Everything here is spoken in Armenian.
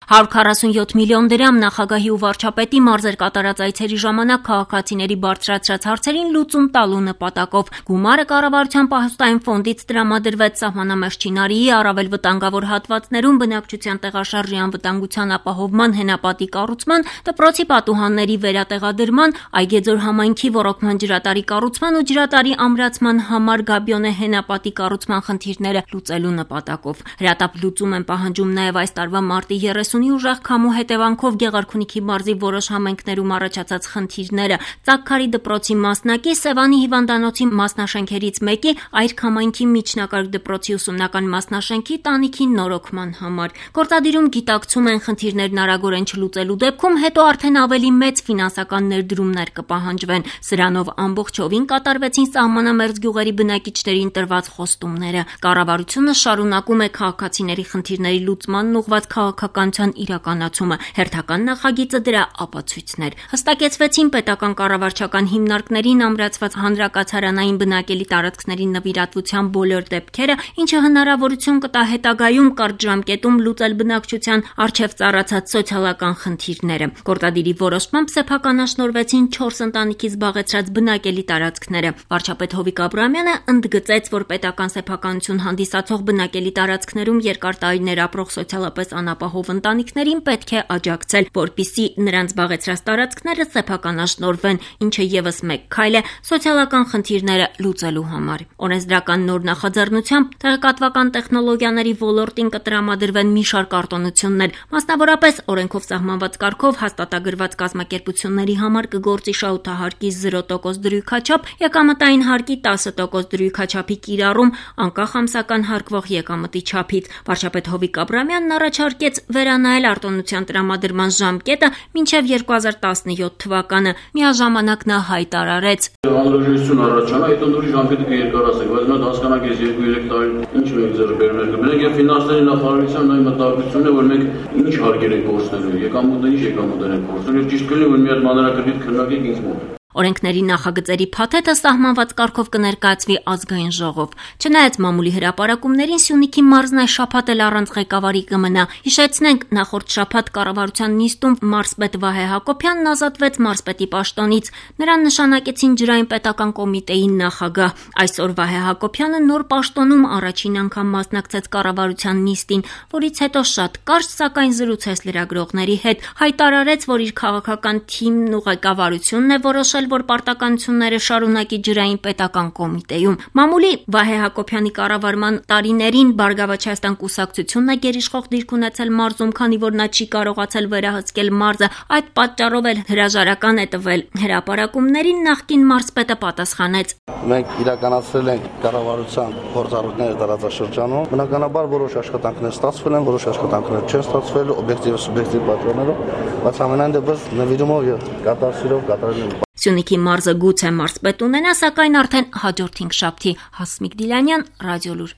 147 միլիոն դրամ նախագահի ու վարչապետի մարզեր կատարած այցերի ժամանակ քաղաքացիների բարձրացրած հարցերին լուծում տալու նպատակով գումարը կառավարության պահոստային ֆոնդից տրամադրվեց սահմանամերձ Չինարիի առավել վտանգավոր հատվածներում բնակչության տեղաշարժի անվտանգության ապահովման հենապատի կառուցման, դպրոցի պատուհանների վերատեղադրման, Այգեձոր համայնքի ոռոգման ջրատարի կառուցման ու ջրատարի ամրացման համար Գաբիոնե հենապատի կառուցման խնդիրները լուծելու նպատակով։ Հրատապ լուծում են պահանջում նաև այս տարվա մարտի 30-ի ուժեղ քամու հետևանքով Գեղարքունիքի մարզի որոշ համայնքներում առաջացած խնդիրները, Ծակքարի դպրոցի մասնակի, Սևանի հիվանդանոցի մասնաշենքերից մեկի, Այրք համայնքի միջնակարգ դպրոցի ուսումնական մասնաշենքի տանիքի նորոգման համար։ Գործադիրում գիտակցում են խնդիրներն արագորեն չլուծելու դեպքում հետո արդեն ավելի մեծ ֆինանսական ներդրումներ կպահանջվեն։ Սրանով ամբողջովին կատարվեցին սահմանամերձ գյուղերի բնակիչներին տրված խոստումները։ Կառավարությունը շարունակում է քաղաքացիների խնդիրների լուծմանն ուղղված քաղաքականության իրականացումը, հերթական նախագիծը դրա ապացույցն էր։ Հստակեցվեցին պետական կառավարչական հիմնարկներին ամրացված հանրակացարանային բնակելի տարածքների նվիրատվության բոլոր դեպքերը, ինչը հնարավորություն կտա հետագայում կարճ ժամկետում լուծել բնակչության առջև ծառացած սոցիալական խնդիրները։ Գործադիրի որոշմամբ սեփականաշնորհվեցին 4 ընտանիքի զբաղեցրած բնակելի տարածքները։ Վարչապետ Հովիկ Աբրահամյանը ընդգծեց, որ պետական սեփականություն հանդիսացող բնակելի տարածքներում երկար տարիներ ապրող սոցիալապես անապահով ընտանիքներին պետք է աջակցել, որպեսզի նրանց զբաղեցրած տարածքները սեփականաշնորհվեն, ինչը ևս մեկ քայլ է սոցիալական խնդիրները լուծելու համար։ Օրենսդրական նոր նախաձեռնությամբ տեղեկատվական տեխնոլոգիաների ոլորտին կտրամադրվեն մի շարք արտոնություններ, մասնավորապես օրենքով սահմանված կարգով հաստատագրված կազմակերպությունների համար կգործի շահութահարկի 0% դրույքաչափ, եկամտային հարկի 10% դրույքաչափի կիրառում, անկախ ամսական հարկվող եկամտի չափից։ Վարչապետ Հովիկ Աբրահամյանն առաջարկեց վերանայել արտոնության տրամադրման ժամկետը մինչև 2017 թվականը։ Միաժամանակ նա հայտարարեց. Անհրաժեշտություն առաջանա, այդ ընդորի ժամկետը կերկարացնենք, բայց մենք հասկանանք, այս 2-3 տարի ինչ մենք ձեռքբերումներ կբերենք եւ ֆինանսների նախարարության այն մտահոգությունն է, որ մենք ինչ հարկեր ենք կորցնելու, եկամուտներ ինչ եկամուտներ ենք կորցնելու, եւ ճիշտ կլինի, որ մի հատ մանրակրկիտ քննարկենք ինձ մոտ։ Օրենքների նախագծերի փաթեթը սահմանված կարգով կներկայացվի ազգային ժողով։ Չնայած մամուլի հրապարակումներին Սյունիքի մարզն այս շաբաթ էլ առանց ղեկավարի կմնա։ Հիշեցնենք, նախորդ շաբաթ կառավարության նիստում մարզպետ Վահե Հակոբյանն ազատվեց մարզպետի պաշտոնից։ Նրան նշանակեցին ջրային պետական կոմիտեի նախագահ։ Այսօր Վահե Հակոբյանը նոր պաշտոնում առաջին անգամ մասնակցեց կառավարության նիստին, որից հետո շատ կարճ, սակայն զրուցեց լրագրողների հետ, հայտարարեց, որ իր քաղաքական թիմն ու ղեկավարությունն է որոշել, որ պարտականությունները շարունակի ջրային պետական կոմիտեում։ Մամուլի Վահե Հակոբյանի կառավարման տարիներին Բարգավաճ Հայաստան կուսակցությունն է գերիշխող դիրք ունեցել մարզում, քանի որ նա չի կարողացել վերահսկել մարզը։ Այդ պատճառով էլ հրաժարական է տվել։ Հրապարակումներին նախկին մարզպետը պատասխանեց. Մենք իրականացրել ենք կառավարության փորձառույթները տարածաշրջանում։ Բնականաբար որոշ աշխատանքներ ստացվել են, որոշ աշխատանքներ չեն ստացվել օբյեկտիվ ու սուբյեկտիվ պատճառներով, բայց ամենայն դեպս նվիրումով եւ կատարսիրով կատարել ենք։ Սյունիքի մարզը գուցե մարզպետ ունենա, սակայն արդեն հաջորդ 5 շաբթի։ Հասմիկ Դիլանյան, Ռադիոլուր։